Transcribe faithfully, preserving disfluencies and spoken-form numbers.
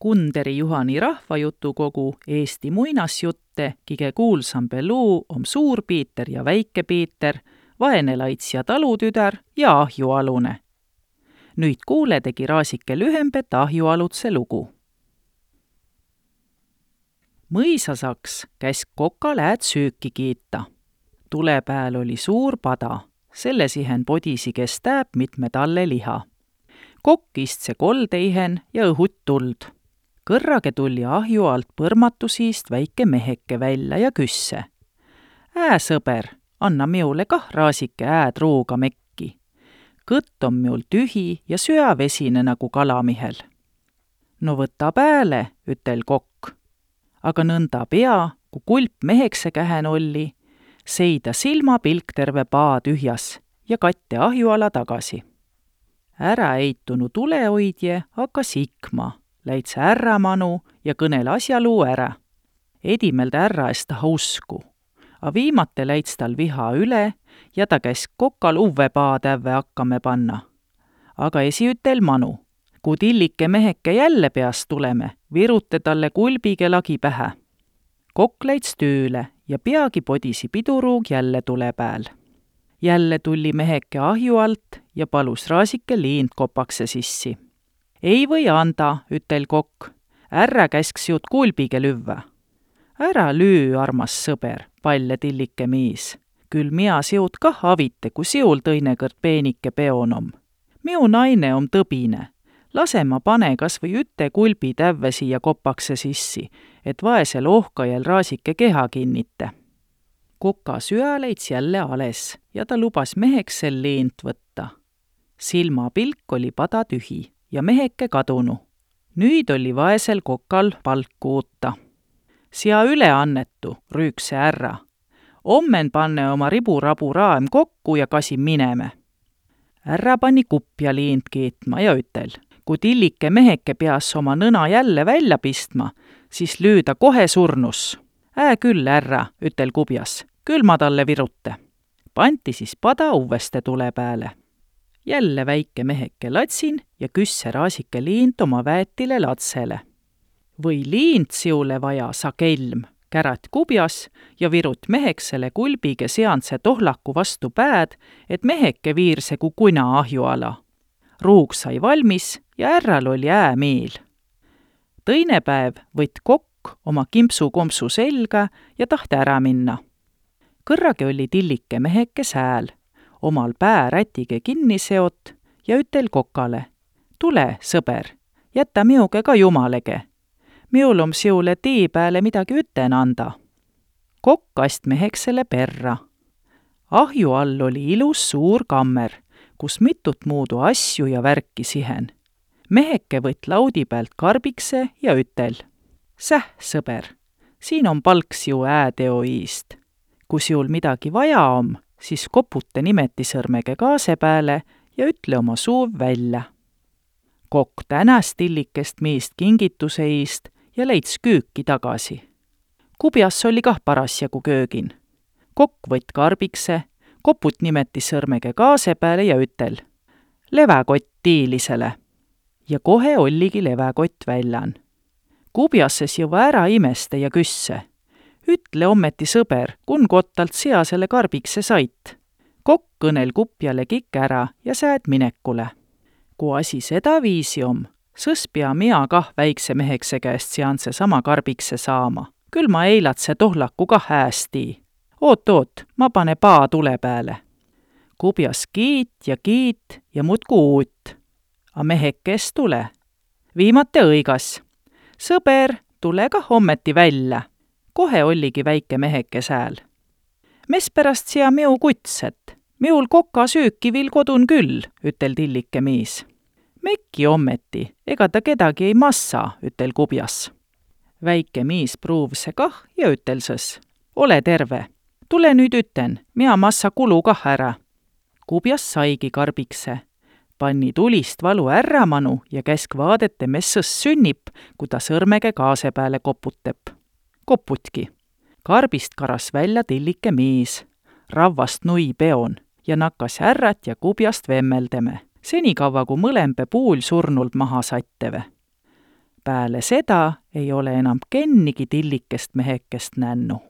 Kunderi Juhani rahvajutukogu Eesti muinasjutte kige kuulsambe luu om Suur Piiter ja Väike Piiter, Vaene laits ja talutüdär ja Ahjualune. Nüüd kuule tegi Raasike lühembet Ahjualutse lugu. Mõisasaks käis Koka lääd sööki kiita. Tule pääl oli suur pada, selle sihen podisi kes tääb mitme talle liha. Kokk istse koldeihen ja õhut tuld. Kõrrage tuli ahju alt põrmatu siist väike meheke välja ja küsse. Ää, sõber, anna miule kah Raasike ääd ruuga mekki. Kõtt on miul tühi ja süävesine nagu kalamihel. No võta pääle, ütel Kokk. Aga nõnda pea, kui kulp mehekse kähen olli, seida silmapilk terve paa tühjas ja katte ahjuala tagasi. Ära eitunu tulehoidje hakkas ikma, läitse ärra manu ja kõnel asjaluu ära. Edimelde ärra eest taha usku, a viimate läits tal viha üle ja ta käis Kokal uve paa tävve hakkame panna. Aga esiütel manu, kui tillike meheke jälle peast tuleme, virute talle kulbige lagi pähe. Kokk läits tööle ja peagi podisi piduruug jälle tule pääl. Jälle tulli meheke ahju alt ja palus Raasike liint kopakse sissi. Ei või anda, ütel Kokk, ärra käsks jut kulbige lüvvä. Ära lüü, armas sõber, palle tillike miis. Küll mia siut kah avite, kui siul tõinekõrd peenike peonom. Miu naine om tõbine. Lase ma pane kas või üte kulbi tävve siia kopakse sissi, et vaesel ohkajal Raasike keha kinnite. Koka süä leits jälle ales ja ta lubas meheksel leent võtta. Silmapilk oli pada tühi ja meheke kadunu. Nüüd oli vaesel Kokal palku uutta. Sia üle annetu, rüükse ärra. Ommen panne oma riburabu raam kokku ja kasi mineme. Ärra pani kupja liint kiitma ja ütel, kui tillike meheke peas oma nõna jälle välja pistma, siis lüüda kohe surnus. Ää küll, ärra, ütel kubjas, küll ma talle virutte. Panti siis pada uveste tule pääle. Jälle väike meheke latsin ja küsse Raasike liint oma väetile latsele. Või liint siule vaja, sa kelm, kärat kubjas ja virut meheksele kulbige seanse tohlaku vastu pääd, et meheke viirse kui kuna ahjuala. Ruug sai valmis ja ärral oli äämiil. Tõine päev võtt Kokk oma kimpsu-kompsu selga ja tahte ära minna. Kõrrage oli tillike meheke sääl, omal pää rätige kinni seot ja ütel Kokale. Tule, sõber, jäta miuge ka jumalege. Miul om siule tii pääle midagi üten anda. Kokk ast meheksele perra. Ahju all oli ilus suur kammer, kus mitut muudu asju ja värki sihen. Meheke võtt laudi pealt karbikse ja ütel. Säh, sõber, siin on palks ju ääteo iist. Kui siul midagi vaja om, siis kopute nimetisõrmege kaase pääle ja ütle oma suuv välja. Kokk tänas tillikest miist kingituse iist ja leits küüki tagasi. Kubjas oli kah parasjagu köögin. Kokk võtt karbikse, koput nimetisõrmege kaase pääle ja ütel. Leväkott tiilisele. Ja kohe olligi leväkott väljan. Kubjases jõva ära imeste ja küsse. Ütle ommeti sõber, kun kottalt seasele karbikse sait. Kokk kõnel kupjale kikk ära ja sääd minekule. Kui asi seda viisi om, sõs pea mia kah väikse mehekse käest seanse sama karbikse saama. Küll ma eilatse tohlaku kah häästii. Oot, oot, ma pane paa tule pääle. Kubjas kiit ja kiit ja mutku uut. A mehekes tule. Viimate õigas. Sõber, tule kah ommeti välja. Kohe olligi väike meheke sääl. Mespärast sia miu kutset? Miul Koka süüki vil kodun küll, ütel tillike miis. Mekki ommeti, ega ta kedagi ei massa, ütel kubjas. Väike miis pruuvse kah ja ütel sõs. Ole terve. Tule nüüd üten, mia massa kulu kah ära. Kubjas saigi karbikse. Panni tulist valu ärra manu ja käsk vaadete, mes sõs sünnip, kui ta sõrmege kaase pääle koputeb. Koputki. Karbist karas välja tillike miis. Ravvast nui peon ja nakkas ärrat ja kubjast vemmeldeme. Senikaua, kui mõlempe puul surnult maha satteve. Pääle seda ei ole enam kennigi tillikest mehekest nännu.